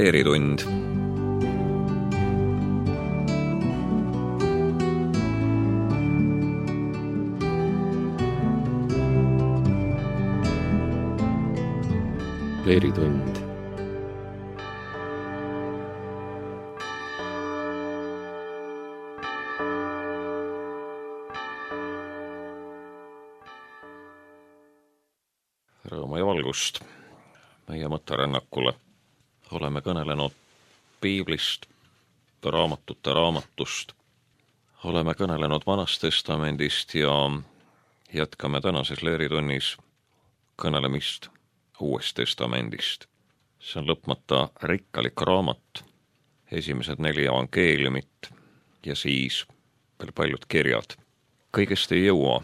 Leeritund. Leeritund. Rõõmu ja valgust meie mõtterännakule. Oleme kõnelenud piiblist, raamatute raamatust. Oleme kõnelenud Vanast Testamendist ja jätkame tänases Leeritunnis kõnelemist Uuest Testamendist. See on lõpmata rikkalik raamat, esimesed 4 evangeeliumit ja siis veel paljud kirjad. Kõigest ei jõua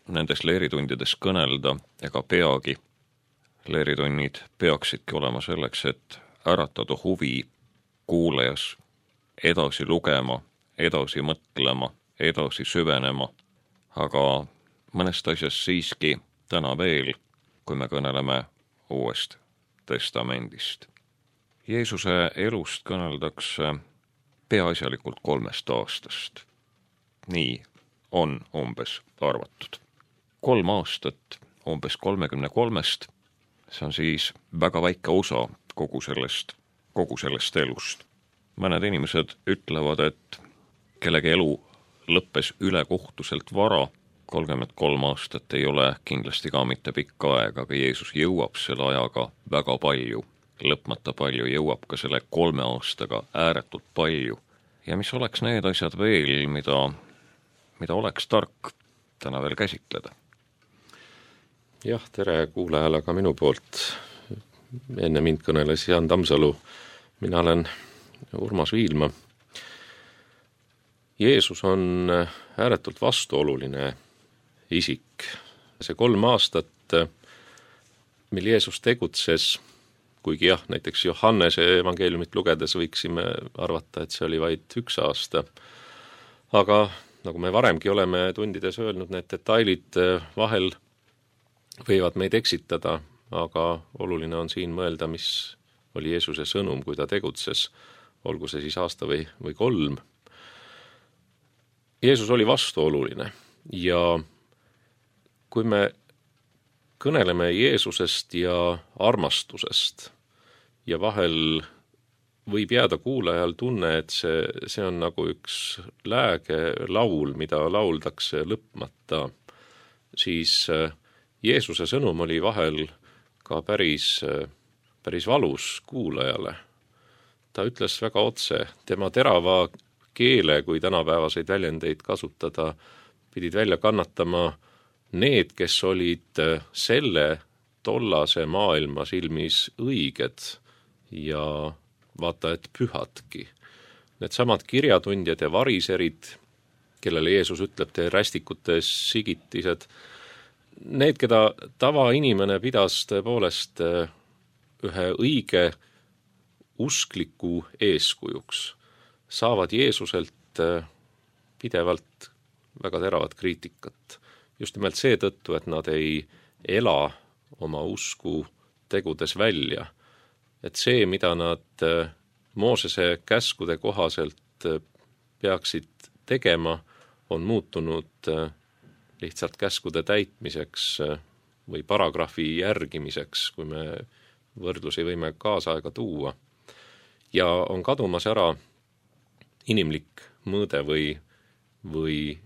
nendes leeritundides kõnelda ega peagi. Leeritunnid peaksidki olema selleks, et äratada huvi kuulajas edasi lugema, edasi mõtlema, edasi süvenema, aga mõnest asjast siiski täna veel, kui me kõneleme Uuest Testamendist. Jeesuse elust kõneldakse peaasjalikult 3 aastast. Nii on umbes arvatud. 3 aastat umbes 33-st, see on siis väga väike osa kogu sellest elust. Mõned inimesed ütlevad, et kellegi elu lõppes ülekohtuselt vara, 33 aastat ei ole kindlasti ka mitte pikka aega, aga Jeesus jõuab selle ajaga väga palju, lõpmata palju, jõuab ka selle 3 aastaga ääretult palju. Ja mis oleks need asjad veel, mida oleks tark täna veel käsitleda? Jah, tere kuulajale ka minu poolt. Enne mind kõneles Jaan Tammsalu, mina olen Urmas Viilma. Jeesus on ääretult vastuoluline isik. See 3 aastat, mil Jeesus tegutses, kuigi jah, näiteks Johannese evangeeliumit lugedes võiksime arvata, et see oli vaid 1 aasta. Aga nagu me varemgi oleme tundides öelnud, need detailid vahel võivad meid eksitada, aga oluline on siin mõelda, mis oli Jeesuse sõnum, kui ta tegutses, olgu see siis aasta või 3. Jeesus oli vastuoluline ja kui me kõneleme Jeesusest ja armastusest ja vahel võib jääda kuulajal tunne, et see on nagu üks lääge laul, mida lauldakse lõpmata, siis Jeesuse sõnum oli vahel ka päris valus kuulajale. Ta ütles väga otse, tema terava keele, kui tänapäevaseid väljendeid kasutada, pidid välja kannatama need, kes olid selle tollase maailma silmis õiged ja vaata, et pühadki. Need samad kirjatundjad ja variserid, kellele Jeesus ütleb, te rästikute sigitised, need, keda tavainimene pidas tõepoolest ühe õige uskliku eeskujuks, saavad Jeesuselt pidevalt väga teravat kriitikat. Just nimelt seetõttu, et nad ei ela oma usku tegudes välja. Et see, mida nad Moosese käskude kohaselt peaksid tegema, on muutunud lihtsalt käskude täitmiseks või paragrahvi järgimiseks, kui me võrdlusi võime kaasaega tuua. Ja on kadumas ära inimlik mõõde või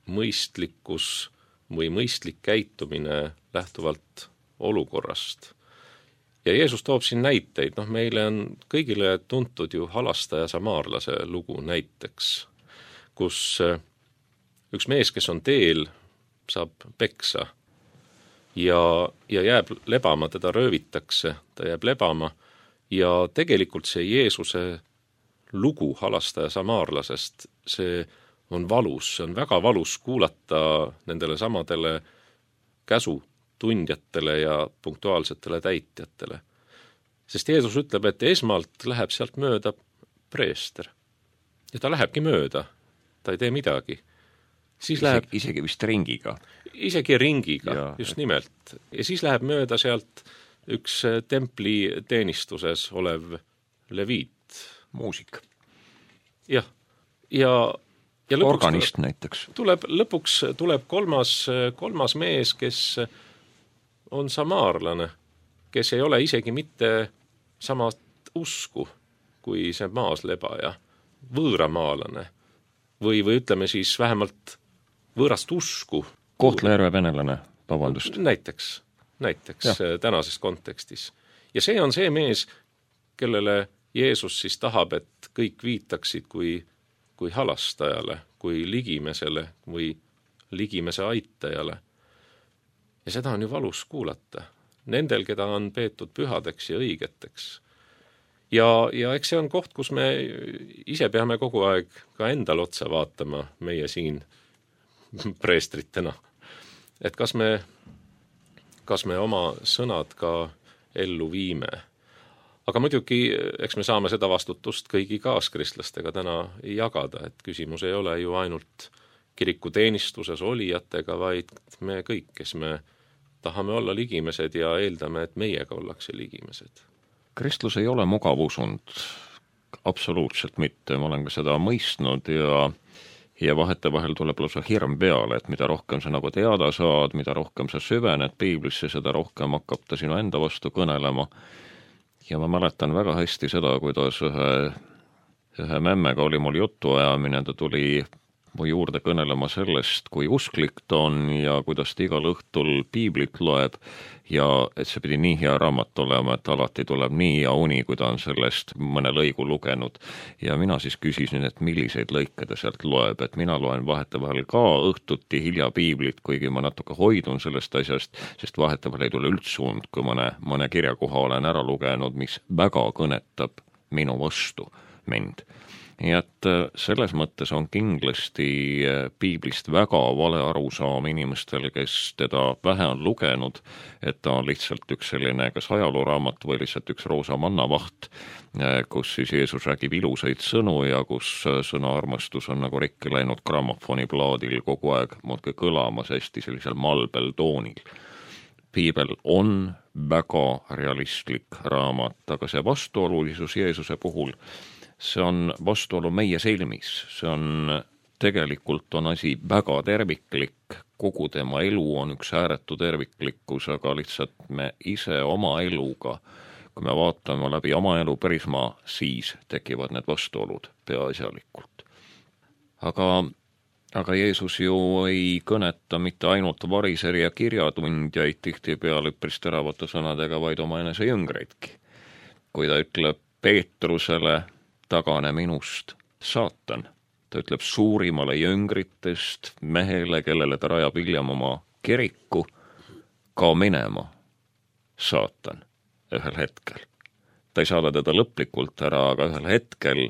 mõistlikkus või mõistlik käitumine lähtuvalt olukorrast. Ja Jeesus toob siin näiteid, meile on kõigile tuntud ju halastaja samaarlase lugu näiteks, kus üks mees, kes on teel, saab peksa ja jääb lebama, teda röövitakse, ta jääb lebama ja tegelikult see Jeesuse lugu halastaja samaarlasest, see on valus, see on väga valus kuulata nendele samadele käsutundjatele ja punktuaalsetele täitjatele. Sest Jeesus ütleb, et esmalt läheb sealt mööda preester. Ja ta lähebki mööda, ta ei tee midagi. Siis läheb isegi vist ringiga. Isegi ringiga, just nimelt. Ja siis läheb mööda sealt üks templi teenistuses olev leviit. Muusik. Jah, ja lõpuks organist näiteks. Lõpuks tuleb kolmas mees, kes on samaarlane, kes ei ole isegi mitte samat usku kui see maaslebaja, võõramaalane või ütleme siis vähemalt võõrast usku. Kohtla-Järve venelane, vabandust. Näiteks tänases kontekstis. Ja see on see mees, kellele Jeesus siis tahab, et kõik viitaksid kui halastajale, kui ligimesele või ligimese aitajale. Ja seda on ju valus kuulata. Nendel, keda on peetud pühadeks ja õigeteks. Ja eks see on koht, kus me ise peame kogu aeg ka endal otsa vaatama, meie siin preestritena. Et kas me oma sõnad ka ellu viime. Aga muidugi, eks me saame seda vastutust kõigi kaaskristlastega täna jagada, et küsimus ei ole ju ainult kirikuteenistuses olijatega, vaid me kõik, kes me tahame olla ligimesed ja eeldame, et meiega ollakse ligimesed. Kristlus ei ole mugavusund, absoluutselt mitte, ma olen ka seda mõistnud ja vahetevahel tuleb lausa hirm peale, et mida rohkem sa nagu teada saad, mida rohkem sa süvened piiblisse, seda rohkem hakkab ta sinu enda vastu kõnelema. Ja ma mäletan väga hästi seda, kuidas ühe memmega oli mul jutuajamine, ta tuli mu juurde kõnelema sellest, kui usklik ta on ja kuidas ta igal õhtul piiblit loeb ja et see pidi nii hea raamat olema, et alati tuleb nii hea uni, kui ta on sellest mõne lõigu lugenud. Ja mina siis küsisin, et milliseid lõike ta sealt loeb, et mina loen vahetevahel ka õhtuti hilja piiblit, kuigi ma natuke hoidun sellest asjast, sest vahetevahel ei tule üldsund, kui mõne kirjakoha olen ära lugenud, mis väga kõnetab minu vastu mind. Nii et selles mõttes on kindlasti piiblist väga vale arusaam inimestel, kes teda vähe on lugenud, et ta on lihtsalt üks selline kas ajalooraamat või lihtsalt üks roosa mannavaht, kus siis Jeesus räägib ilusaid sõnu ja kus sõna armastus on nagu rikki läinud grammofoniplaadil kogu aeg muudkui kõlamas hästi sellisel malbel toonil. Piibel on väga realistlik raamat, aga see vastuolulisus Jeesuse puhul, see on vastuolu meie silmis, see on tegelikult on asi väga terviklik, kogu tema elu on üks ääretu terviklikkus, aga lihtsalt me ise oma eluga, kui me vaatame läbi oma elu prisma, siis tekivad need vastuolud peaasjalikult. Aga Jeesus ju ei kõneta mitte ainult variseri ja kirjatundjaid tihtipeale üpris teravate sõnadega, vaid oma enese jüngreidki. Kui ta ütleb Peetrusele, tagane minust, saatan. Ta ütleb suurimale jüngritest mehele, kellele ta rajab hiljem oma kiriku, kao minema, saatan, ühel hetkel. Ta ei saada teda lõplikult ära, aga ühel hetkel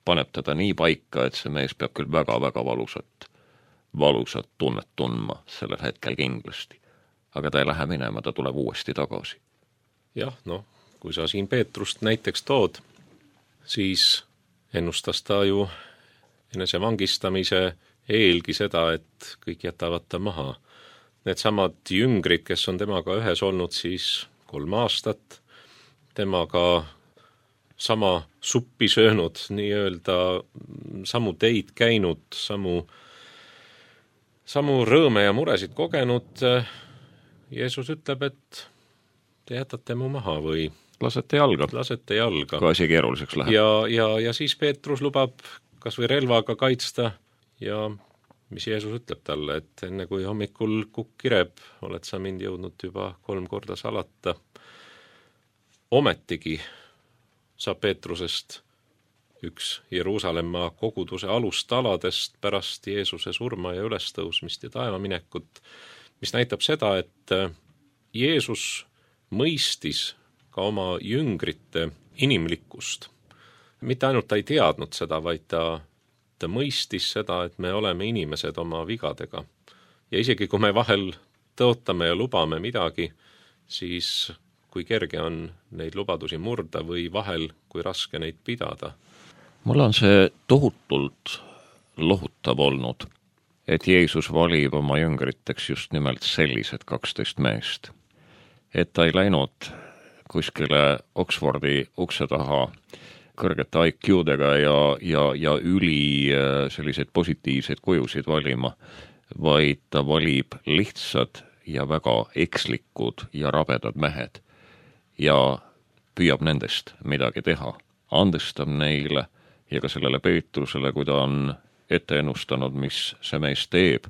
paneb teda nii paika, et see mees peab küll väga-väga valusat tunnet tundma sellel hetkel kindlasti. Aga ta ei lähe minema, ta tuleb uuesti tagasi. Jah, kui sa siin Peetrust näiteks tood, siis ennustas ta ju enese vangistamise eelgi seda, et kõik jätavad ta maha. Need samad jüngrid, kes on temaga ühes olnud siis 3 aastat, temaga sama suppi söönud, nii-öelda samu teid käinud, samu rõõme ja muresid kogenud, Jeesus ütleb, et te jätate mu maha või lasete jalga. Kui asi keeruliseks läheb. Ja siis Peetrus lubab kas või relvaga kaitsta ja mis Jeesus ütleb talle, et enne kui hommikul kukk kireb, oled sa mind jõudnud juba 3 korda salata. Ometigi saab Peetrusest üks Jeruusalemma koguduse alustaladest pärast Jeesuse surma ja ülestõusmist ja taevaminekut, mis näitab seda, et Jeesus mõistis ka oma jüngrite inimlikkust. Mitte ainult ta ei teadnud seda, vaid ta mõistis seda, et me oleme inimesed oma vigadega. Ja isegi kui me vahel tõotame ja lubame midagi, siis kui kerge on neid lubadusi murda või vahel, kui raske neid pidada. Mul on see tohutult lohutav olnud, et Jeesus valib oma jüngriteks just nimelt sellised 12 meest. Et ta ei läinud kuskile Oxfordi ukse taha kõrgete IQ-dega ja üli selliseid positiivseid kujusid valima, vaid ta valib lihtsad ja väga ekslikud ja rabedad mehed ja püüab nendest midagi teha, andestab neile ja ka sellele Peetrusele, kui ta on ette ennustanud, mis see mees teeb,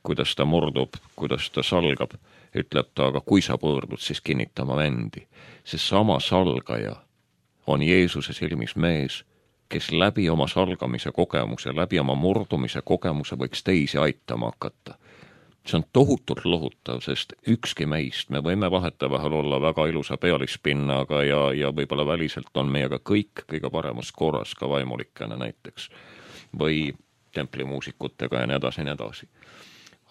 kuidas ta murdub, kuidas ta salgab, ütleb ta, aga kui sa pöördud, siis kinnitama vendi. See sama salgaja on Jeesuse silmis mees, kes läbi oma salgamise kogemuse, läbi oma murdumise kogemuse võiks teisi aitama hakata. See on tohutult lohutav, sest ükski meist, me võime vahetevahel olla väga ilusa pealispinnaga ja võib-olla väliselt on meiega kõik kõige paremas korras, ka vaimulikena näiteks, või templimuusikutega ja nii edasi.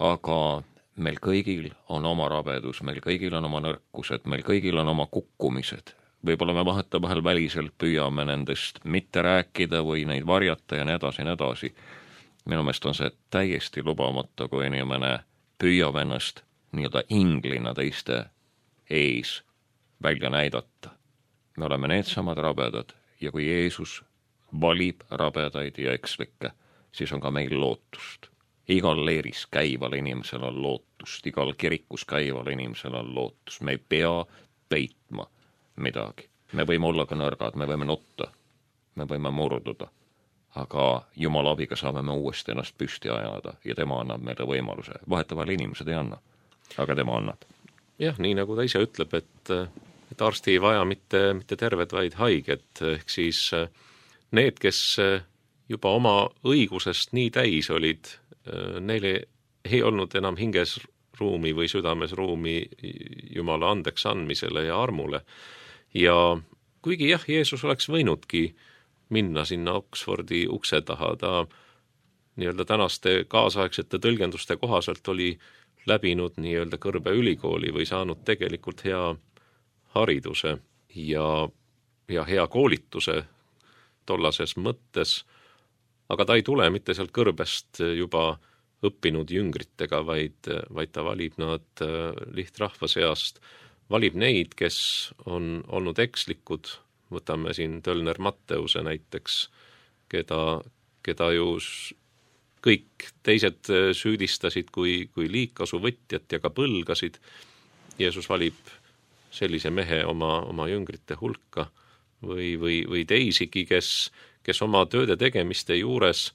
Aga meil kõigil on oma rabedus, meil kõigil on oma nõrkused, meil kõigil on oma kukkumised. Võib-olla me vahetevahel väliselt püüame nendest mitte rääkida või neid varjata ja nii edasi. Minu meelest on see täiesti lubamata, kui inimene püüab ennast nii-öelda inglina teiste ees välja näidata. Me oleme needsamad rabedad ja kui Jeesus valib rabedaid ja ekslikke, siis on ka meil lootust. Igal leeris käival inimesel on lootust, igal kirikus käival inimesel on lootust. Me ei pea peitma midagi. Me võime olla ka nõrgad, me võime nutta, me võime murduda, aga Jumala abiga saame me uuesti ennast püsti ajada ja tema annab meile võimaluse. Vahetevahel inimesed ei anna, aga tema annab. Jah, nii nagu ta ise ütleb, et arsti ei vaja mitte terved, vaid haiged, ehk siis need, kes juba oma õigusest nii täis olid, neile ei olnud enam hinges ruumi või südames ruumi Jumala andeks andmisele ja armule. Ja kuigi jah, Jeesus oleks võinudki minna sinna Oxfordi ukse taha, ta nii-öelda tänaste kaasaegsete tõlgenduste kohaselt oli läbinud nii-öelda kõrbe ülikooli või saanud tegelikult hea hariduse ja hea koolituse tollases mõttes, aga ta ei tule mitte sealt kõrbest juba õppinud jüngritega, vaid ta valib nad lihtrahva seast, valib neid, kes on olnud ekslikud, võtame siin Tölner Matteuse näiteks, keda ju kõik teised süüdistasid kui liigkasuvõtjat ja ka põlgasid. Jeesus valib sellise mehe oma jüngrite hulka või teisigi, kes oma tööde tegemiste juures,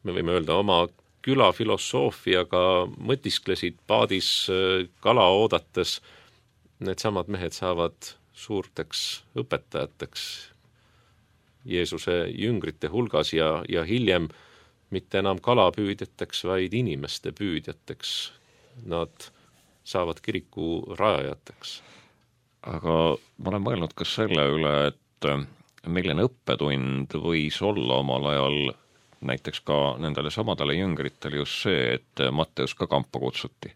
me võime öelda, oma külafilosoofiaga mõtisklesid paadis kala oodates, needsamad mehed saavad suurteks õpetajateks Jeesuse jüngrite hulgas ja hiljem mitte enam kalapüüdjateks, vaid inimeste püüdjateks. Nad saavad kiriku rajajateks. Aga ma olen mõelnud ka selle üle, et milline õppetund võis olla omal ajal näiteks ka nendele samadele jüngritele just see, et Matteus ka kampa kutsuti.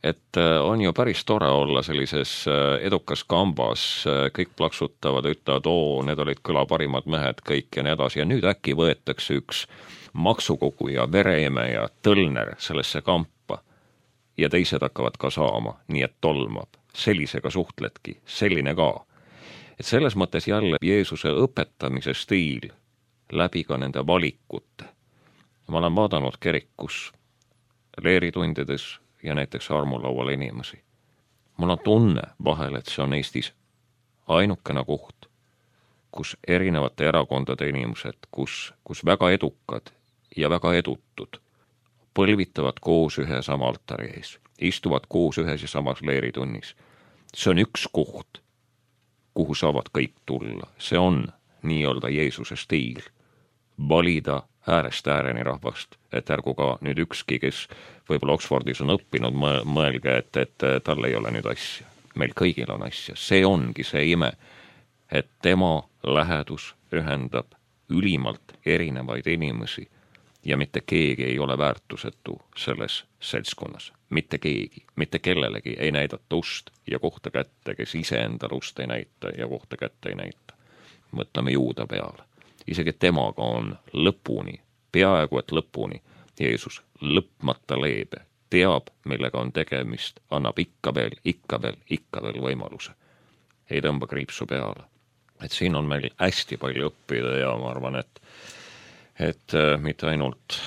Et on ju päris tore olla sellises edukas kambas, kõik plaksutavad, ütlevad, need olid kõla parimad mehed, kõik ja nii edasi, ja nüüd äkki võetakse üks maksukoguja, vereimeja, Tölner sellesse kampa ja teised hakkavad ka saama, nii et tolmab. Sellisega suhtledki, selline ka. Et selles mõttes jälle Jeesuse õpetamise stiil läbi ka nende valikute. Ma olen vaadanud kirikus leeritundides ja näiteks armulaual inimesi. Mul on tunne vahel, et see on Eestis ainukene koht, kus erinevate erakondade inimesed, kus väga edukad ja väga edutud põlvitavad koos ühe sama altari ees, istuvad koos ühes ja samas leeritunnis. See on üks koht, kuhu saavad kõik tulla. See on nii-öelda Jeesuse stiil. Valida äärest ääreni rahvast, et ärgu ka nüüd ükski, kes võib-olla Oxfordis on õppinud, mõelge, et tal ei ole nüüd asja. Meil kõigil on asja. See ongi see ime, et tema lähedus ühendab ülimalt erinevaid inimesi ja mitte keegi ei ole väärtusetu selles seltskonnas. Mitte keegi, mitte kellelegi ei näidata ust ja kohta kätte, kes ise endal ust ei näita ja kohta kätte ei näita. Mõtleme Juuda peale. Isegi temaga on lõpuni, peaaegu et lõpuni, Jeesus lõpmata leebe, teab, millega on tegemist, annab ikka veel võimaluse. Ei tõmba kriipsu peale. et siin on meil hästi palju õppida ja ma arvan, et mitte ainult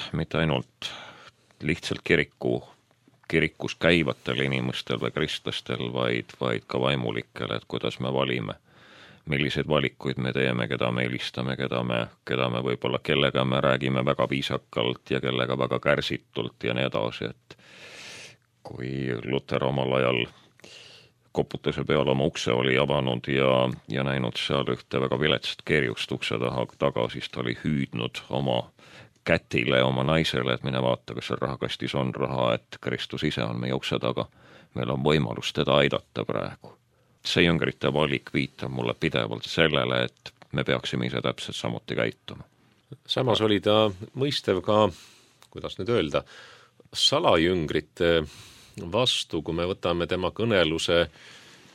lihtsalt kirikus käivatel inimestel või kristlastel, vaid ka vaimulikel, et kuidas me valime, milliseid valikuid me teeme, keda me eelistame, keda me võib-olla, kellega me räägime väga viisakalt ja kellega väga kärsitult ja nii edasi, et kui Luter omal ajal koputuse peal oma ukse oli avanud ja näinud seal ühte väga viletsat kerjust ukse taga, siis ta oli hüüdnud oma kätile, oma naisele, et mine vaata, kas seal rahakastis on raha, et Kristus ise on meie ukse taga. Meil on võimalus teda aidata praegu. See jüngrite valik viitab mulle pidevalt sellele, et me peaksime ise täpselt samuti käituma. Samas oli ta mõistev ka, kuidas nüüd öelda, salajüngrite vastu, kui me võtame tema kõneluse,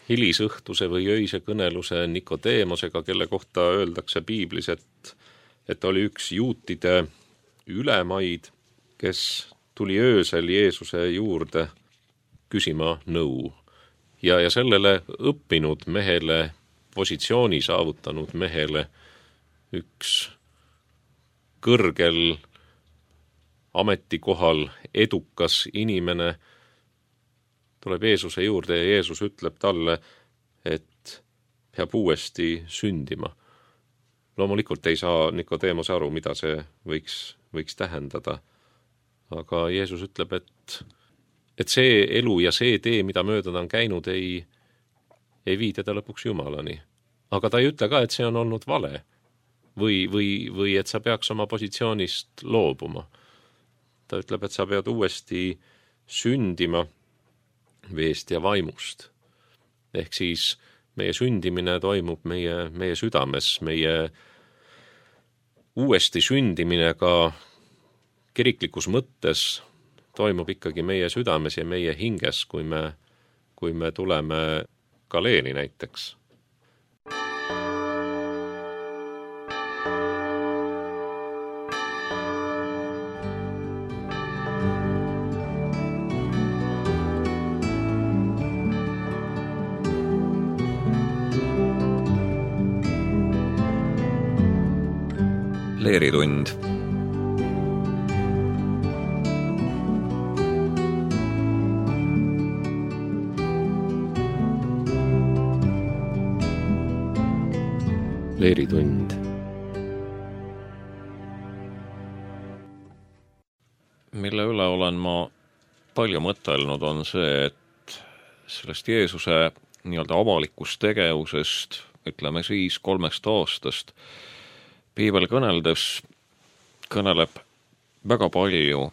hilisõhtuse või öise kõneluse Nikodeemosega, kelle kohta öeldakse piiblis, et oli üks juutide ülemaid, kes tuli öösel Jeesuse juurde küsima nõu. Ja sellele õppinud mehele, positsiooni saavutanud mehele üks kõrgel ametikohal edukas inimene tuleb Jeesuse juurde ja Jeesus ütleb talle, et peab uuesti sündima. Loomulikult ei saa Nikodeemos aru, mida see võiks tähendada. Aga Jeesus ütleb, et see elu ja see tee, mida mööda ta on käinud, ei vii teda lõpuks Jumalani. Aga ta ei ütle ka, et see on olnud vale või et sa peaks oma positsioonist loobuma. Ta ütleb, et sa pead uuesti sündima veest ja vaimust. Ehk siis meie sündimine toimub meie südames, meie uuesti sündimine ka kiriklikus mõttes toimub ikkagi meie südames ja meie hinges, kui me tuleme Galeeni näiteks. Leeritund. Leeritund. Mille üle olen ma palju mõtelnud, on see, et sellest Jeesuse nii-öelda avalikust tegevusest, ütleme siis 3 aastast, piibel kõneleb väga palju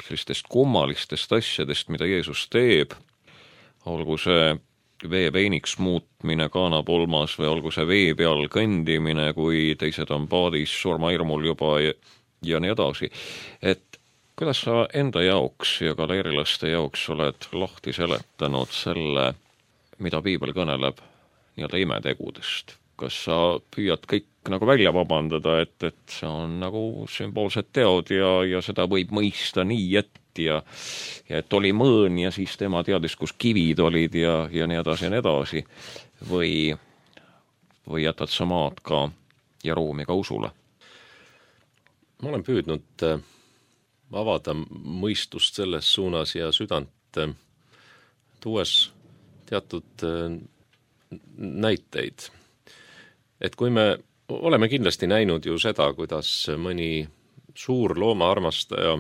sellistest kummalistest asjadest, mida Jeesus teeb, olgu see vee veiniks muutmine Kaanapolmas või olgu see vee peal kõndimine, kui teised on paadis surmahirmul juba ja nii edasi. Et kuidas sa enda jaoks ja galeerilaste jaoks oled lahti seletanud selle, mida piibel kõneleb nii-öelda imetegudest? Kas sa püüad kõik nagu välja vabandada, et see on nagu sümboolsed teod ja seda võib mõista nii, ja et oli mõõn ja siis tema teadis, kus kivid olid ja nii edasi, või jätad sa maad ka ja ruumi ka usule? Ma olen püüdnud avada mõistust selles suunas ja südant, tuues teatud näiteid. Et kui me oleme kindlasti näinud ju seda, kuidas mõni suur loomaarmastaja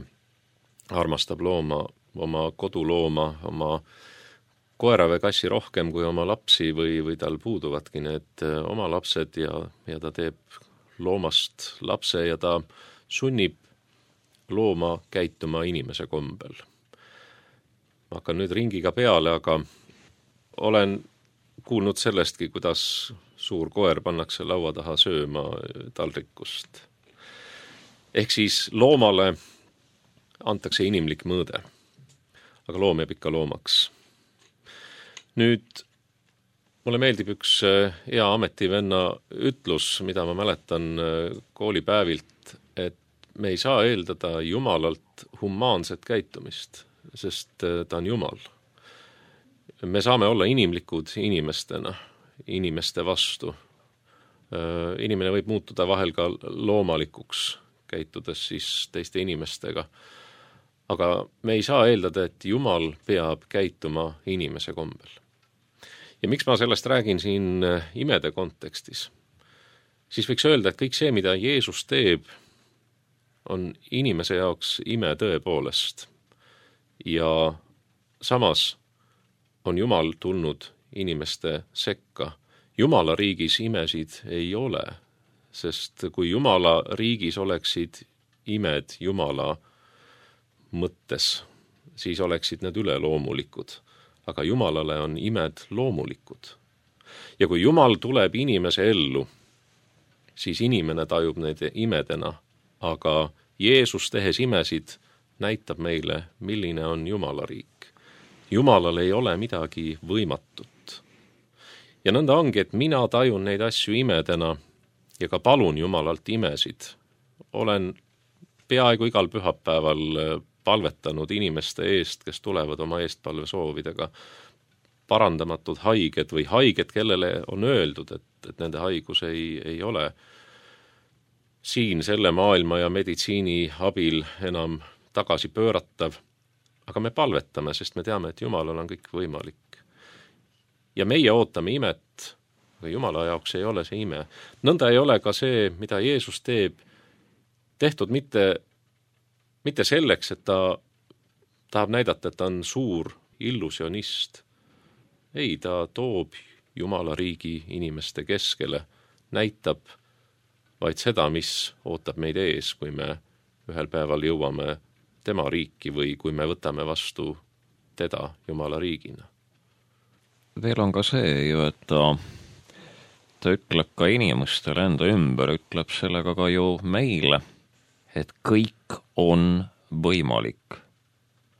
armastab looma, oma kodulooma, oma koera või kassi rohkem kui oma lapsi või tal puuduvadki need oma lapsed ja ta teeb loomast lapse ja ta sunnib looma käituma inimese kombel. Ma hakkan nüüd ringiga peale, aga olen kuulnud sellestki, kuidas suur koer pannakse laua taha sööma taldrikust. Ehk siis loomale antakse inimlik mõõde, aga loom jääb ikka loomaks. Nüüd mulle meeldib üks hea ametivenna ütlus, mida ma mäletan koolipäevilt, et me ei saa eeldada Jumalalt humaanset käitumist, sest ta on Jumal. Me saame olla inimlikud inimestena, inimeste vastu, Inimene võib muutuda vahel ka loomalikuks, käitudes siis teiste inimestega. Aga me ei saa eeldada, et Jumal peab käituma inimese kombel. Ja miks ma sellest räägin siin imede kontekstis? Siis võiks öelda, et kõik see, mida Jeesus teeb, on inimese jaoks ime tõepoolest. Ja samas on Jumal tulnud inimeste sekka. Jumala riigis imesid ei ole, sest kui Jumala riigis oleksid imed Jumala mõttes, siis oleksid need üleloomulikud. Aga Jumalale on imed loomulikud. Ja kui Jumal tuleb inimese ellu, siis inimene tajub neid imedena, aga Jeesus tehes imesid näitab meile, milline on Jumala riik. Jumalal ei ole midagi võimatut. Ja nõnda ongi, et mina tajun neid asju imedena ja ka palun Jumalalt imesid. Olen peaaegu igal pühapäeval palvetanud inimeste eest, kes tulevad oma eestpalvesoovidega, parandamatud haiged või haiged, kellele on öeldud, et nende haigus ei ole siin selle maailma ja meditsiini abil enam tagasi pööratav. Aga me palvetame, sest me teame, et Jumalal on kõik võimalik. Ja meie ootame imet, aga Jumala jaoks ei ole see ime. Nõnda ei ole ka see, mida Jeesus teeb, tehtud mitte selleks, et ta tahab näidata, et ta on suur illusionist. Ei, ta toob Jumala riigi inimeste keskele, näitab vaid seda, mis ootab meid ees, kui me ühel päeval jõuame tema riiki või kui me võtame vastu teda Jumala riigina. Veel on ka see ju, et ta ütleb ka inimestele enda ümber, ütleb sellega ka ju meile, et kõik on võimalik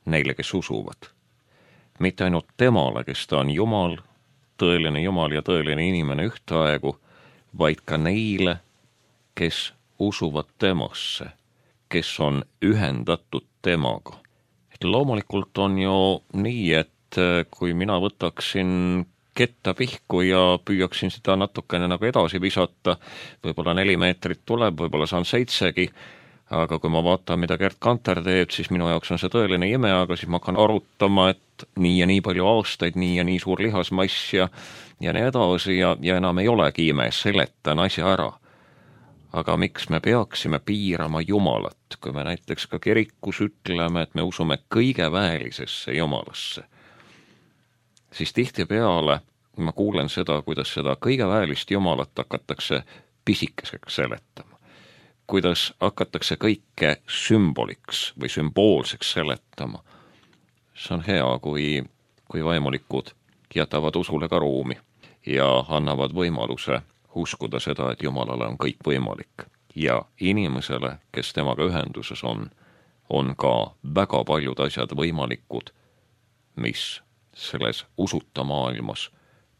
neile, kes usuvad. Mitte ainult temale, kes ta on Jumal ja tõeline inimene ühtaegu, vaid ka neile, kes usuvad temasse, kes on ühendatud temaga. Et loomulikult on ju nii, et kui mina võtaksin ketta pihku ja püüaksin seda natukene nagu edasi visata, võib-olla 4 meetrit tuleb, võib-olla saan 7-gi, aga kui ma vaatan, mida Gerd Kanter teeb, siis minu jaoks on see tõeline ime, aga siis ma hakkan arutama, et nii ja nii palju aastaid, nii ja nii suur lihasmass ja nii edasi ja enam ei olegi ime, seletan asja ära. Aga miks me peaksime piirama Jumalat, kui me näiteks ka kirikus ütleme, et me usume kõige väelisesse Jumalasse, siis tihtipeale ma kuulen seda, kuidas seda kõige väelist Jumalat hakatakse pisikeseks seletama. Kuidas hakatakse kõike sümboliks või sümboolseks seletama. See on hea, kui vaimulikud jätavad usule ka ruumi ja annavad võimaluse uskuda seda, et Jumalale on kõik võimalik. Ja inimesele, kes temaga ühenduses on ka väga paljud asjad võimalikud, mis selles usuta maailmas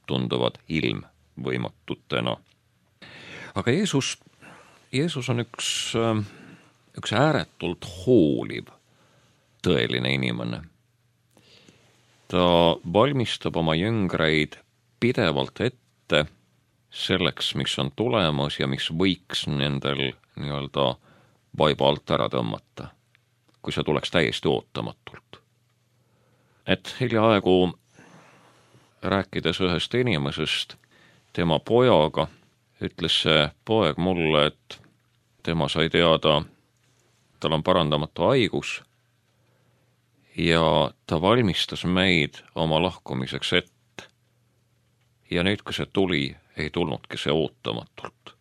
tunduvad ilmvõimatutena. Aga Jeesus on üks ääretult hooliv tõeline inimene. Ta valmistab oma jüngreid pidevalt ette selleks, mis on tulemas ja mis võiks nendel nii-öelda vaiba alt ära tõmmata, kui see tuleks täiesti ootamatult. Et hiljaaegu rääkides ühest inimesest, tema pojaga, ütles see poeg mulle, et tema sai teada, tal on parandamatu haigus ja ta valmistas meid oma lahkumiseks ette. Ja nüüd, kui see tuli, ei tulnudki see ootamatult.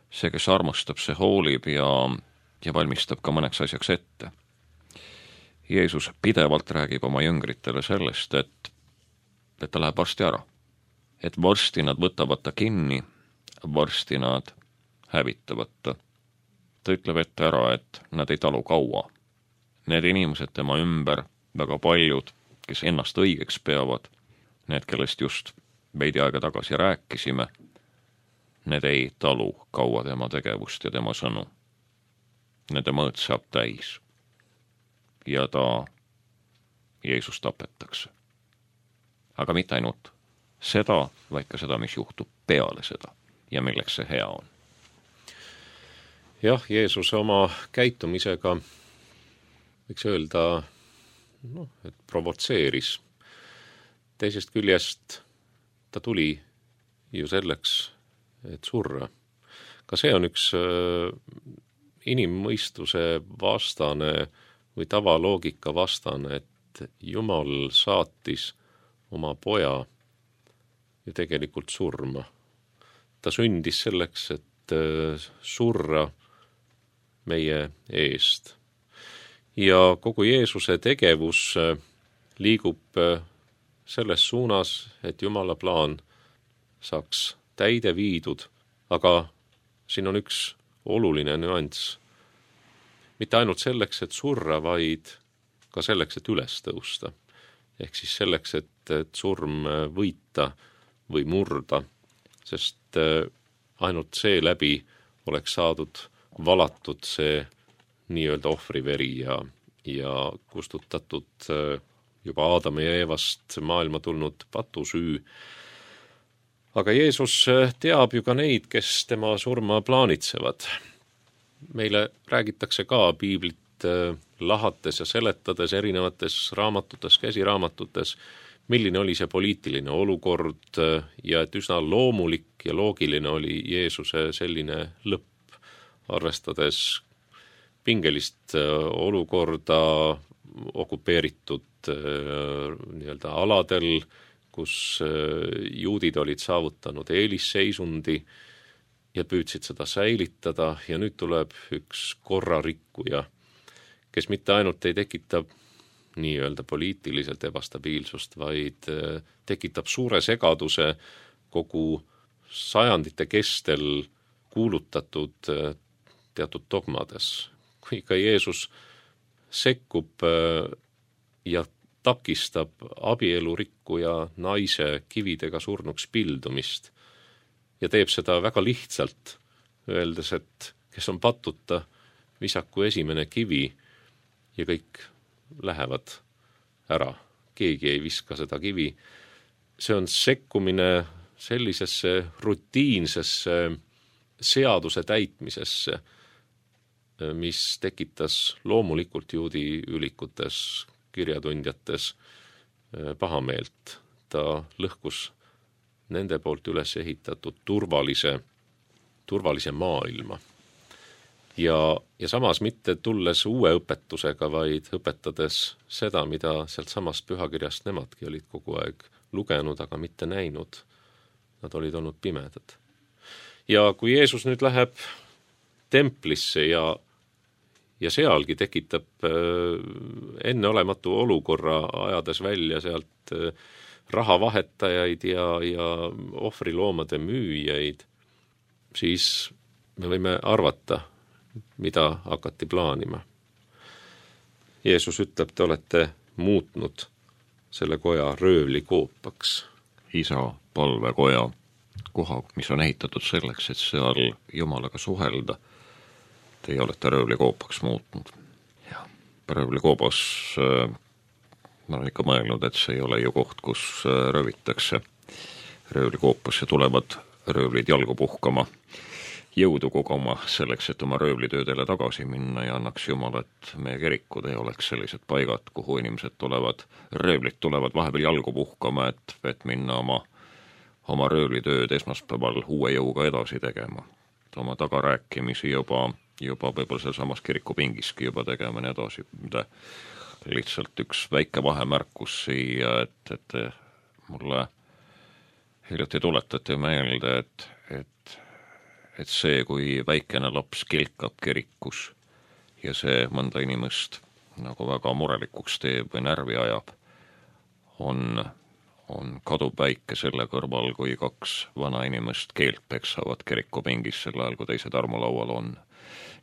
See, kes armastab, see hoolib ja valmistab ka mõneks asjaks ette. Jeesus pidevalt räägib oma jüngritele sellest, et ta läheb varsti ära. Et varsti nad võtavad ta kinni, varsti nad hävitavad ta. Ta ütleb ette ära, et nad ei talu kaua. Need inimesed tema ümber, väga paljud, kes ennast õigeks peavad, need, kellest just veidi aega tagasi rääkisime, need ei talu kaua tema tegevust ja tema sõnu. Nende mõõt saab täis. Ja Jeesus tapetakse. Aga mitte ainult seda, vaid ka seda, mis juhtub peale seda. ja milleks see hea on. Jah, Jeesus oma käitumisega võiks öelda, et provotseeris. Teisest küljest ta tuli ju selleks, et surra. Ka see on üks inimmõistuse vastane või tavaloogika vastane, et Jumal saatis oma poja ju tegelikult surma. Ta sündis selleks, et surra meie eest. Ja kogu Jeesuse tegevus liigub selles suunas, et Jumala plaan saaks täide viidud, aga siin on üks oluline nüanss. Mitte ainult selleks, et surra, vaid ka selleks, et üles tõusta. Ehk siis selleks, et surm võita või murda, sest ainult see läbi oleks saadud valatud see nii-öelda ohvriveri ja kustutatud juba Aadama ja Eevast maailma tulnud patusüü. Aga Jeesus teab ju ka neid, kes tema surma plaanitsevad. Meile räägitakse ka piiblit lahates ja seletades erinevates raamatutes, käsiraamatutes, milline oli see poliitiline olukord ja et üsna loomulik ja loogiline oli Jeesuse selline lõpp, arvestades pingelist olukorda okupeeritud nii-öelda aladel, kus juudid olid saavutanud eelisseisundi ja püüdsid seda säilitada ja nüüd tuleb üks korrarikkuja, kes mitte ainult ei tekita nii-öelda poliitiliselt ebastabiilsust, vaid tekitab suure segaduse kogu sajandite kestel kuulutatud teatud dogmades. Kui ka Jeesus sekkub ja takistab abielurikkuja naise kividega surnuks pildumist ja teeb seda väga lihtsalt, öeldes, et kes on patuta, visaku esimene kivi ja kõik lähevad ära. Keegi ei viska seda kivi. See on sekkumine sellisesse rutiinsesse seaduse täitmisesse, mis tekitas loomulikult juudi ülikutes, kirjatundjates pahameelt. Ta lõhkus nende poolt üles ehitatud turvalise maailma. Ja samas mitte tulles uue õpetusega, vaid õpetades seda, mida sealt samast pühakirjast nemadki olid kogu aeg lugenud, aga mitte näinud. Nad olid olnud pimedad. Ja kui Jeesus nüüd läheb templisse ja sealgi tekitab enneolematu olukorra, ajades välja sealt rahavahetajaid ja ohvriloomade müüjaid, siis me võime arvata, mida hakati plaanima. Jeesus ütleb, te olete muutnud selle koja röövlikoopaks. Isa palvekoja koha, mis on ehitatud selleks, et seal Jumalaga suhelda, teie olete röövlikoopaks muutnud. Röövlikoobas ma olen ikka mõelnud, et see ei ole ju koht, kus röövitakse. Röövlikoopasse tulevad röövlid jalgu puhkama, jõudu koguma selleks, et oma röövlitöödele tagasi minna ja annaks Jumal, et meie kirikud ei oleks sellised paigad, kuhu inimesed tulevad, röövlid tulevad vahepeal jalgu puhkama, et minna oma röövlitööd esmaspäeval uue jõuga edasi tegema. Oma tagarääkimisi juba võib-olla seal samas kirikupingiski juba tegema nii edasi. Lihtsalt üks väike vahemärkus siia, et mulle hiljuti tuletati meelde, et see, kui väikene laps kilkab kirikus ja see mõnda inimest nagu väga murelikuks teeb või närvi ajab, on kaduvväike selle kõrval, kui kaks vana inimest keelt peksavad kirikupingis sel ajal, kui teised armulaual on.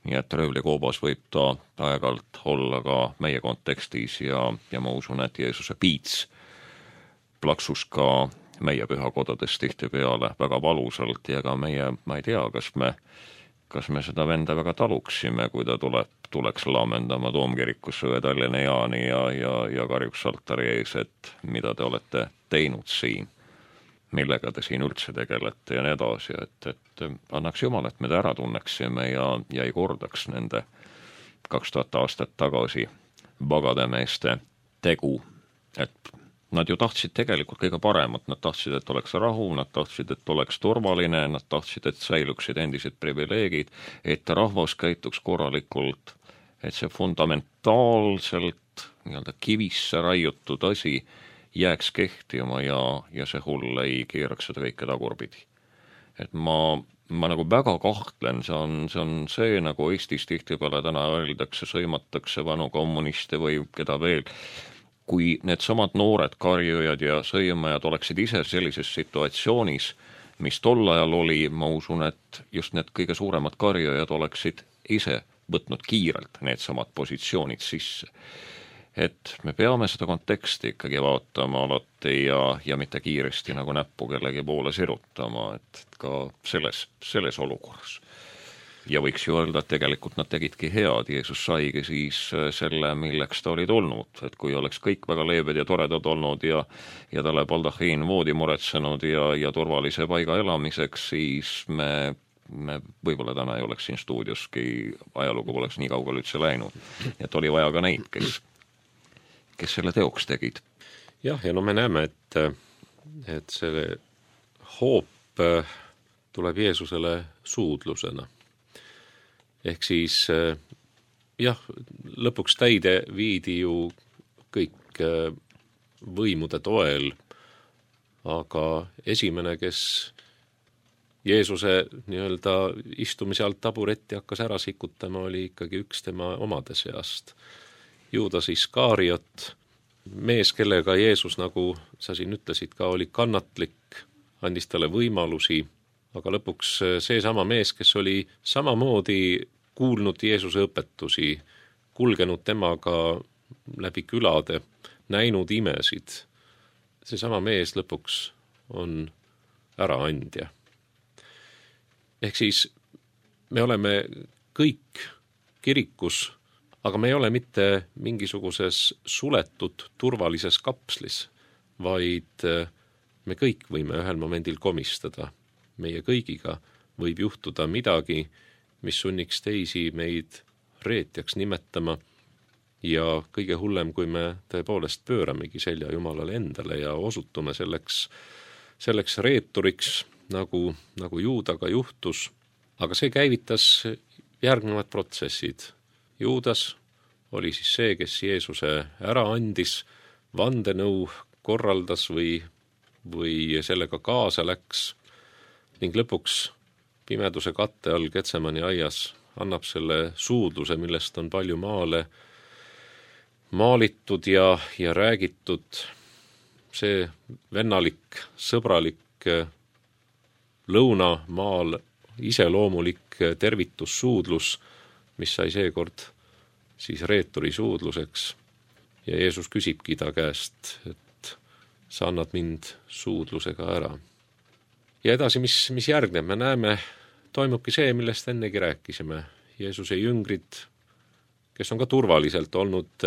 Nii et röövlikoobas võib ta aeg-alt olla ka meie kontekstis ja ma usun, et Jeesuse piits plaksus ka meie pühakodades tihtipeale väga valusalt ja ka meie, ma ei tea, kas me seda venda väga taluksime, kui ta tuleks laamendama Toomkirikusse või Tallinna Jaani ja karjuks altari ees, et mida te olete teinud siin. millega te siin üldse tegelete ja nii edasi, et annaks Jumal, et me ta ära tunneksime ja ei kordaks nende 2000 aastat tagasi vagademeeste tegu, et nad ju tahtsid tegelikult kõige paremat, nad tahtsid, et oleks rahu, nad tahtsid, et oleks turvaline, nad tahtsid, et säiluksid endised privileegid, et rahvas käituks korralikult, et see fundamentaalselt nii-öelda kivisse raiutud asi jääks kehtima ja see hull ei keeraks seda kõike tagurpidi. Et ma nagu väga kahtlen, see on see, nagu Eestis tihtipeale täna öeldakse, sõimatakse vanu kommuniste või keda veel, kui need samad noored karjujad ja sõimajad oleksid ise sellises situatsioonis, mis tol ajal oli, ma usun, et just need kõige suuremad karjujad oleksid ise võtnud kiirelt need samad positsioonid sisse. Et me peame seda konteksti ikkagi vaatama alati ja mitte kiiresti nagu näppu kellegi poole sirutama, et ka selles olukorras. Ja võiks ju öelda, et tegelikult nad tegidki head, Jeesus saigi siis selle, milleks ta oli tulnud, et kui oleks kõik väga leebed ja toredad olnud ja talle baldahiin voodi muretsenud ja turvalise paiga elamiseks, siis me võib-olla täna ei oleks siin stuudioski, ajalugu poleks nii kaugel üldse läinud. Et oli vaja ka neid, kes selle teoks tegid. Jah, ja no me näeme, et see hoop tuleb Jeesusele suudlusena. Ehk siis jah, lõpuks täide viidi ju kõik võimude toel, aga esimene, kes Jeesuse nii-öelda istumise alt taburetti hakkas ära sikutama, oli ikkagi üks tema omade seast. Juudas Iskariot, mees, kellega Jeesus, nagu sa siin ütlesid ka, oli kannatlik, andis talle võimalusi, aga lõpuks seesama mees, kes oli samamoodi kuulnud Jeesuse õpetusi, kulgenud temaga läbi külade, näinud imesid, seesama mees lõpuks on äraandja. Ehk siis me oleme kõik kirikus, aga me ei ole mitte mingisuguses suletud turvalises kapslis, vaid me kõik võime ühel momendil komistada. Meie kõigiga võib juhtuda midagi, mis sunniks teisi meid reetjaks nimetama ja kõige hullem, kui me tõepoolest pööramegi selja Jumalale endale ja osutume selleks reeturiks, nagu Juudaga juhtus, aga see käivitas järgnevad protsessid. Juudas oli siis see, kes Jeesuse ära andis, vandenõu korraldas või sellega kaasa läks ning lõpuks pimeduse katte all Getsemani aias annab selle suudluse, millest on palju maalitud ja räägitud. See vennalik, sõbralik, lõunamaal iseloomulik tervitussuudlus, mis sai seekord siis reeturi suudluseks. Ja Jeesus küsibki ta käest, et sa annad mind suudlusega ära. Ja edasi, mis järgneb, me näeme, toimubki see, millest ennegi rääkisime. Jeesuse jüngrid, kes on ka turvaliselt olnud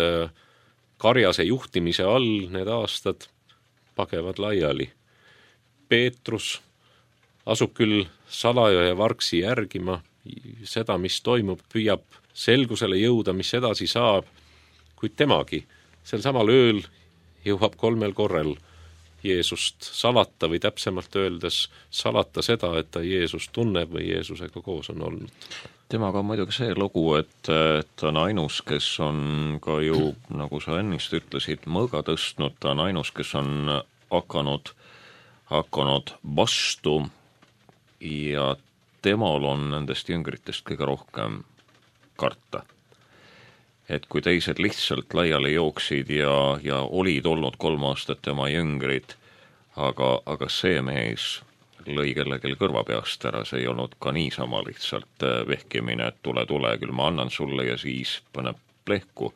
karjase juhtimise all need aastad, pagevad laiali. Peetrus asub küll salaja ja vargsi järgima seda, mis toimub, püüab selgusele jõuda, mis edasi saab, kuid temagi sel samal ööl jõuab 3 korral Jeesust salata või täpsemalt öeldes salata seda, et ta Jeesust tunneb või Jeesusega koos on olnud. Temaga on muidugi see lugu, et ta on ainus, kes on ka ju, nagu sa ennist ütlesid, mõõga tõstnud, ta on ainus, kes on hakanud vastu ja temal on nendest jüngritest kõige rohkem karta. Et kui teised lihtsalt laiali jooksid ja olid olnud 3 aastat tema jüngrid, aga see mees lõi kellelgi kõrva peast ära, see ei olnud ka niisama lihtsalt vehkimine, et tule, küll ma annan sulle ja siis paneb plehku,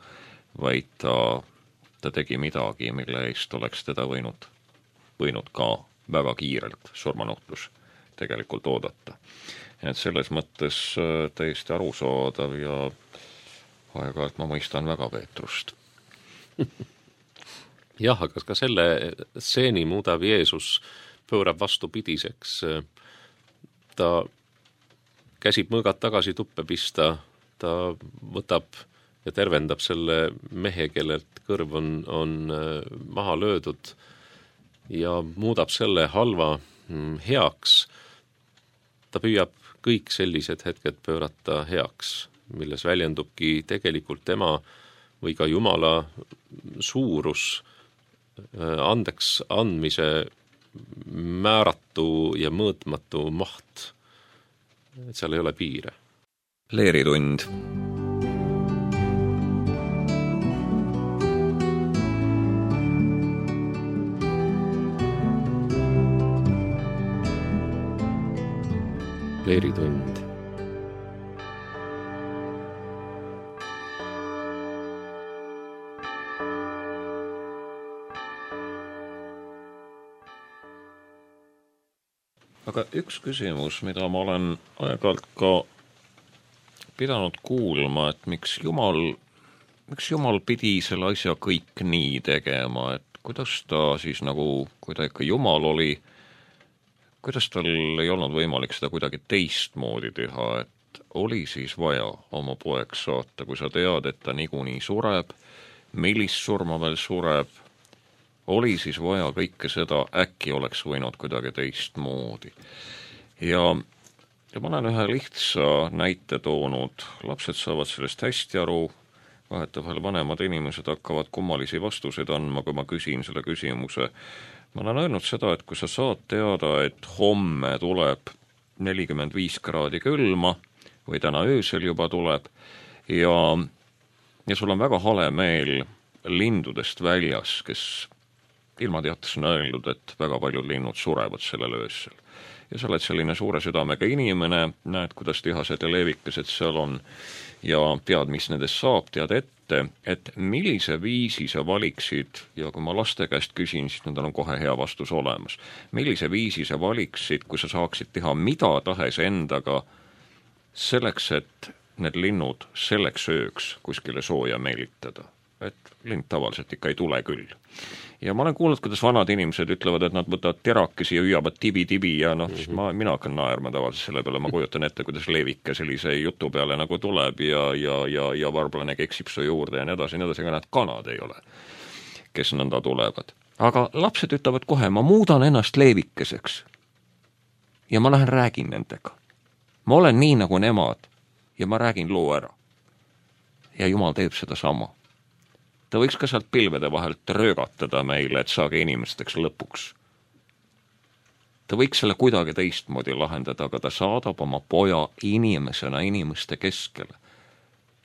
vaid ta tegi midagi, mille eest oleks teda võinud ka väga kiirelt surmanuhtlus tegelikult oodata. Et selles mõttes täiesti arusaadav ja aeg-ajalt ma mõistan väga Peetrust. Jah, aga ka selle stseeni muudab Jeesus pöörab vastupidiseks. Ta käsib mõõgad tagasi tuppe pista, ta võtab ja tervendab selle mehe, kellelt kõrv on maha löödud ja muudab selle halva heaks. Ta püüab kõik sellised hetked pöörata heaks, milles väljendubki tegelikult tema või ka Jumala suurus, andeks andmise määratu ja mõõtmatu maht. Et seal ei ole piire. Leeritund. Leeritund. Aga üks küsimus, mida ma olen aeg-ajalt ka pidanud kuulma, et miks Jumal pidi selle asja kõik nii tegema, et kuidas ta siis nagu, kui ta ikka Jumal oli, kuidas tal ei olnud võimalik seda kuidagi teistmoodi teha, et oli siis vaja oma poeg saata, kui sa tead, et ta niikuinii sureb, millist surma veel sureb, oli siis vaja kõike seda, äkki oleks võinud kuidagi teistmoodi. Ja ma olen ühe lihtsa näite toonud, lapsed saavad sellest hästi aru, vahetevahel vanemad inimesed hakkavad kummalisi vastuseid andma, kui ma küsin selle küsimuse. Ma olen öelnud seda, et kui sa saad teada, et homme tuleb 45 kraadi külma või täna öösel juba tuleb ja sul on väga hale meel lindudest väljas, kes ilmateates on öeldud, et väga paljud linnud surevad sellel öösel. Ja sa oled selline suure südamega inimene, näed, kuidas tihased ja leevikesed seal on ja tead, mis nendest saab, tead ette, et millise viisi sa valiksid, ja kui ma laste käest küsin, siis nendel on kohe hea vastus olemas. Millise viisi sa valiksid, kui sa saaksid teha mida tahes endaga selleks, et need linnud selleks ööks kuskile sooja meelitada. Et lind tavaliselt ikka ei tule küll. Ja ma olen kuulnud, kuidas vanad inimesed ütlevad, et nad võtavad terakesi ja hüüavad tibi-tibi ja siis mina hakkan naerma tavaliselt selle peale, ma kujutan ette, kuidas leevike sellise jutu peale nagu tuleb ja varblane keksib su juurde ja nii edasi, aga nad kanad ei ole, kes nõnda tulevad. Aga lapsed ütlevad kohe, ma muudan ennast leevikeseks ja ma lähen räägin nendega. Ma olen nii nagu nemad ja ma räägin loo ära. Ja Jumal teeb seda sama. Ta võiks ka sealt pilvede vahelt röögatada meile, et saage inimesteks lõpuks. Ta võiks selle kuidagi teistmoodi lahendada, aga ta saadab oma poja inimesena inimeste keskele.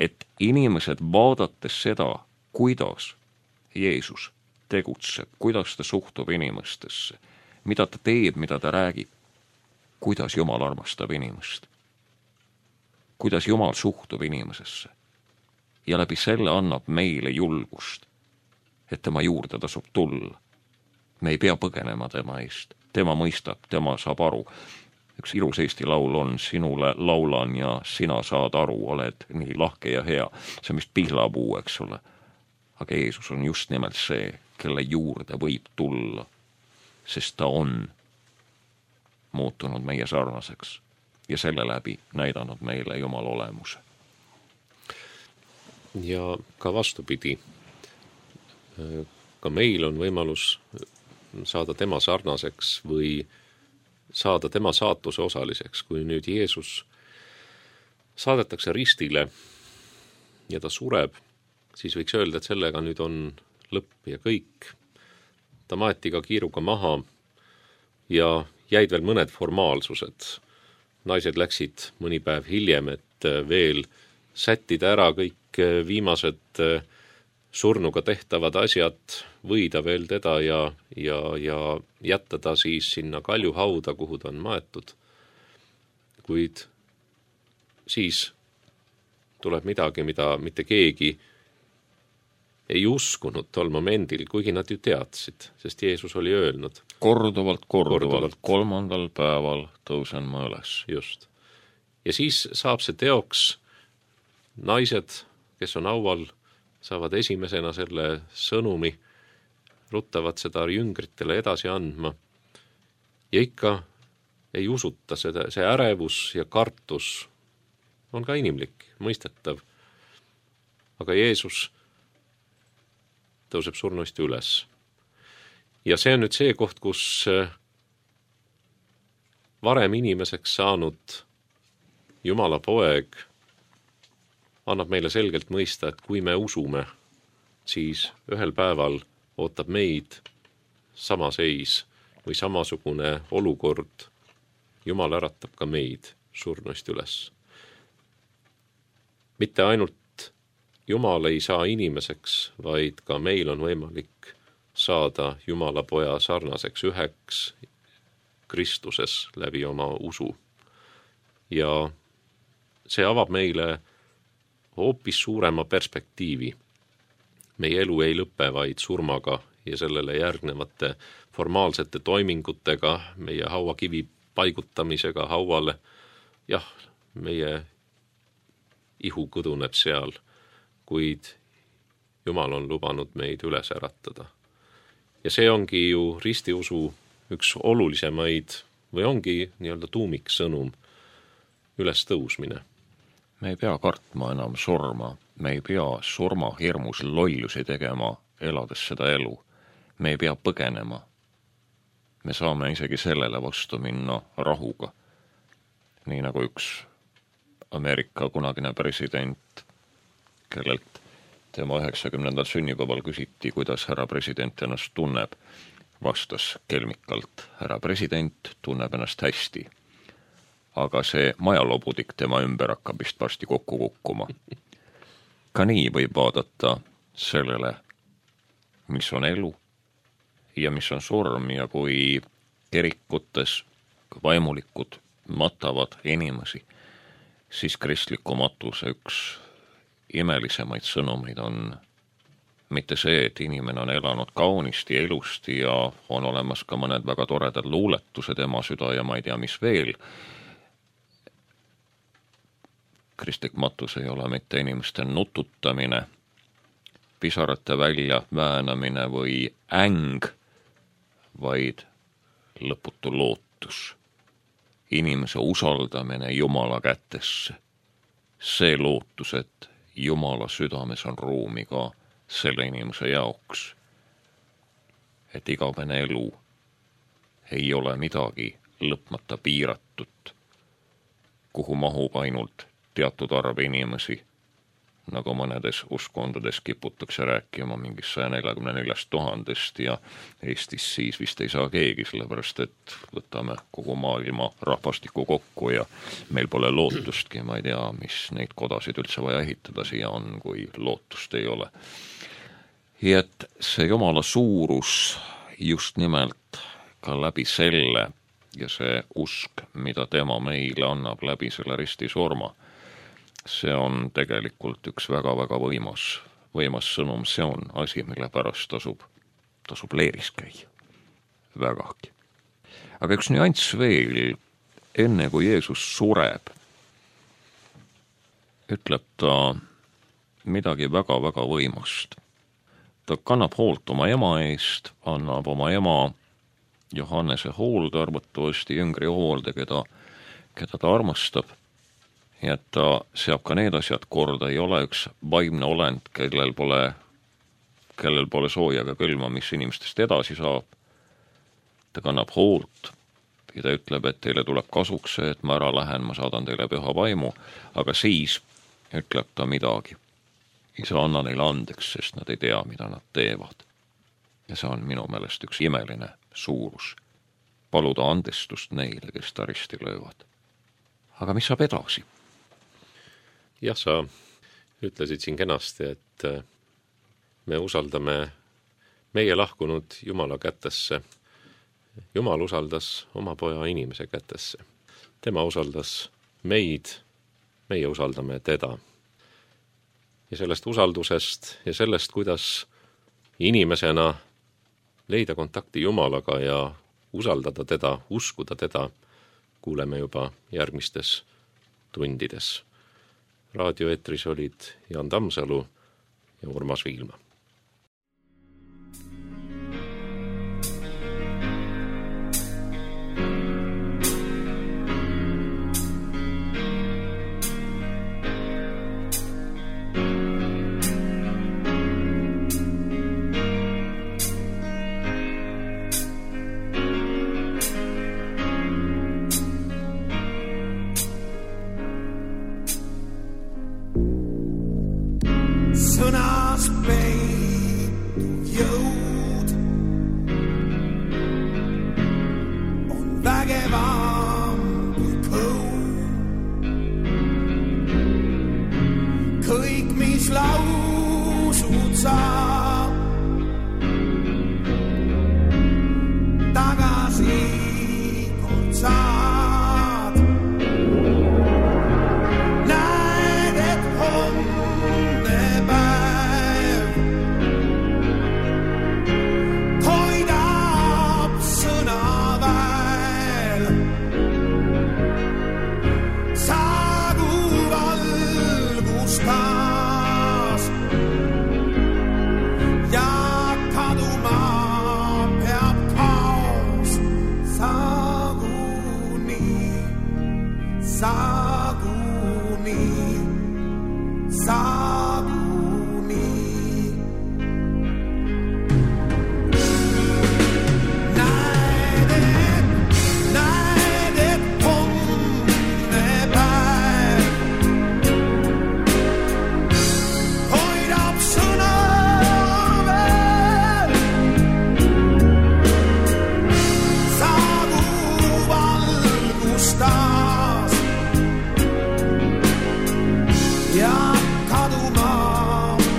Et inimesed vaadates seda, kuidas Jeesus tegutseb, kuidas ta suhtub inimestesse, mida ta teeb, mida ta räägib, kuidas Jumal armastab inimest, kuidas Jumal suhtub inimesesse. Ja läbi selle annab meile julgust, et tema juurde tasub tulla. Me ei pea põgenema tema eest. Tema mõistab, tema saab aru. Üks ilus Eesti laul on, sinule laulan ja sina saad aru, oled nii lahke ja hea. See on vist pihlapuu, eks ole. Aga Jeesus on just nimelt see, kelle juurde võib tulla, sest ta on muutunud meie sarnaseks ja selle läbi näidanud meile Jumala olemuse. Ja ka vastupidi, ka meil on võimalus saada tema sarnaseks või saada tema saatuse osaliseks, kui nüüd Jeesus saadetakse ristile ja ta sureb, siis võiks öelda, et sellega nüüd on lõpp ja kõik. Ta maeti ka kiiruga maha ja jäid veel mõned formaalsused. Naised läksid mõni päev hiljem, et veel sättida ära kõik viimased surnuga tehtavad asjad, võida veel teda ja jätta ta siis sinna kaljuhauda, kuhu ta on maetud. Kuid siis tuleb midagi, mida mitte keegi ei uskunud tol momendil, kuigi nad ju teadsid, sest Jeesus oli öelnud. Korduvalt, 3. päeval tõusen ma üles. Just. Ja siis saab see teoks, naised, kes on haual, saavad esimesena selle sõnumi, ruttavad seda jüngritele edasi andma ja ikka ei usuta seda, see ärevus ja kartus on ka inimlik, mõistetav. Aga Jeesus tõuseb surnuist üles. Ja see on nüüd see koht, kus varem inimeseks saanud Jumala poeg annab meile selgelt mõista, et kui me usume, siis ühel päeval ootab meid sama seis või samasugune olukord. Jumal äratab ka meid surnuist üles. Mitte ainult Jumal ei saa inimeseks, vaid ka meil on võimalik saada Jumala poja sarnaseks üheks Kristuses läbi oma usu. Ja see avab meile hoopis suurema perspektiivi. Meie elu ei lõpe vaid surmaga ja sellele järgnevate formaalsete toimingutega, meie hauakivi paigutamisega hauale. Jah, meie ihu kõduneb seal, kuid Jumal on lubanud meid üles äratada. Ja see ongi ju ristiusu üks olulisemaid või ongi nii-öelda tuumiksõnum, ülestõusmine. Me ei pea kartma enam surma, me ei pea surma hirmus lollusi tegema, elades seda elu. Me ei pea põgenema. Me saame isegi sellele vastu minna rahuga. Nii nagu üks Ameerika kunagine president, kellelt tema 90. sünnipäeval küsiti, kuidas härra president ennast tunneb, vastas kelmikalt: härra president tunneb ennast hästi. Aga see majalobudik tema ümber hakkab vist varsti kokku kukkuma. Ka nii võib vaadata sellele, mis on elu ja mis on surm, ja kui kirikutes vaimulikud matavad inimesi, siis kristliku matuse üks imelisemaid sõnumeid on mitte see, et inimene on elanud kaunisti, elusti ja on olemas ka mõned väga toredad luuletused ema süda ja ma ei tea, mis veel. Kristlik matus ei ole mitte inimeste nututamine, pisarate välja väänamine või äng, vaid lõputu lootus. Inimese usaldamine Jumala kätesse. See lootus, et Jumala südames on ruumi ka selle inimese jaoks. Et igavene elu ei ole midagi lõpmata piiratud, kuhu mahub ainult teatud arv inimesi, nagu mõnedes uskondades kiputakse rääkima mingis 144 000 ja Eestis siis vist ei saa keegi, sellepärast et võtame kogu maailma rahvastiku kokku ja meil pole lootustki, ma ei tea, mis neid kodasid üldse vaja ehitada siia on, kui lootust ei ole. Ja et see Jumala suurus just nimelt ka läbi selle ja see usk, mida tema meile annab läbi selle ristisurma, see on tegelikult üks väga-väga võimas sõnum, see on asi, mille pärast tasub leeris käia. Vägagi. Aga üks nüanss veel, enne kui Jeesus sureb, ütleb ta midagi väga-väga võimast. Ta kannab hoolt oma ema eest, annab oma ema Johannese hoolde, arvatavasti jüngri hoolde, keda ta armastab. Ja et ta seab ka need asjad korda, ei ole üks vaimne olend, kellel pole sooja ega külma, mis inimestest edasi saab. Ta kannab hoolt ja ta ütleb, et teile tuleb kasuks see, et ma ära lähen, ma saadan teile püha vaimu, aga siis ütleb ta midagi. Isa, anna neile andeks, sest nad ei tea, mida nad teevad. Ja see on minu meelest üks imeline suurus. Paluda andestust neile, kes ta risti löövad. Aga mis saab edasi? Jah, sa ütlesid siin kenasti, et me usaldame meie lahkunud Jumala kätesse. Jumal usaldas oma poja inimese kätesse. Tema usaldas meid, meie usaldame teda. Ja sellest usaldusest ja sellest, kuidas inimesena leida kontakti Jumalaga ja usaldada teda, uskuda teda, kuuleme juba järgmistes tundides. Raadioeetris olid Jaan Tammsalu ja Urmas Viilma. sõnas peituv jõud on vägevam kui põud. Kõik, mis lausud saab, tagasi kord saad. Näed, et homne päev hoidab sõna väel. Saagu valgus taas ja kaduma peab kaos. Saaguni. Näed, et homne päev hoidab sõna veel. Saagu valgus taas ja kaduma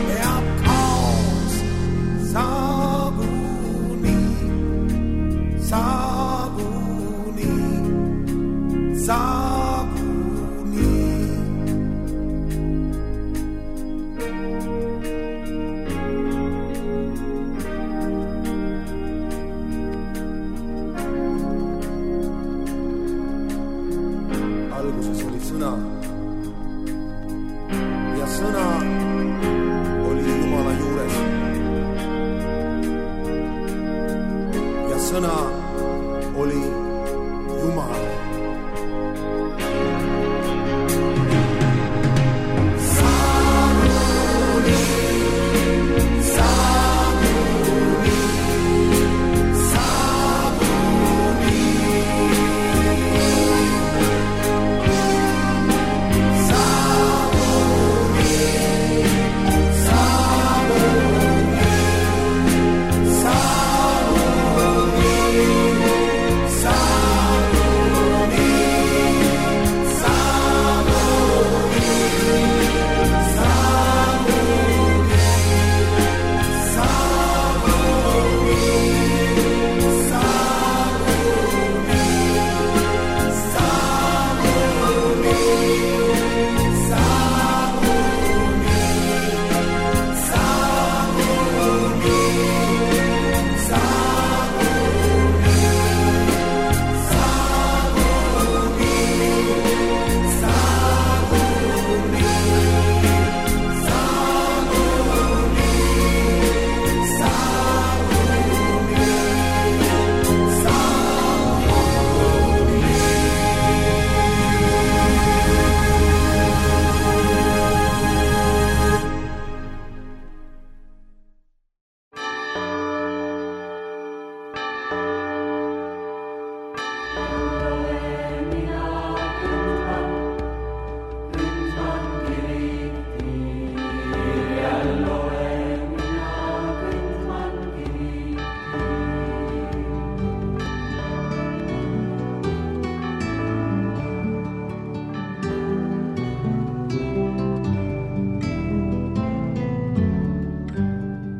peab kaos. Saaguni. Alguses oli sõna ja sõna oli Jumala juures ja sõna oli Jumal.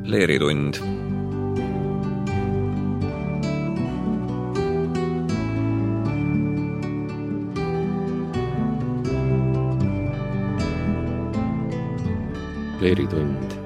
Leeritund. Leeritund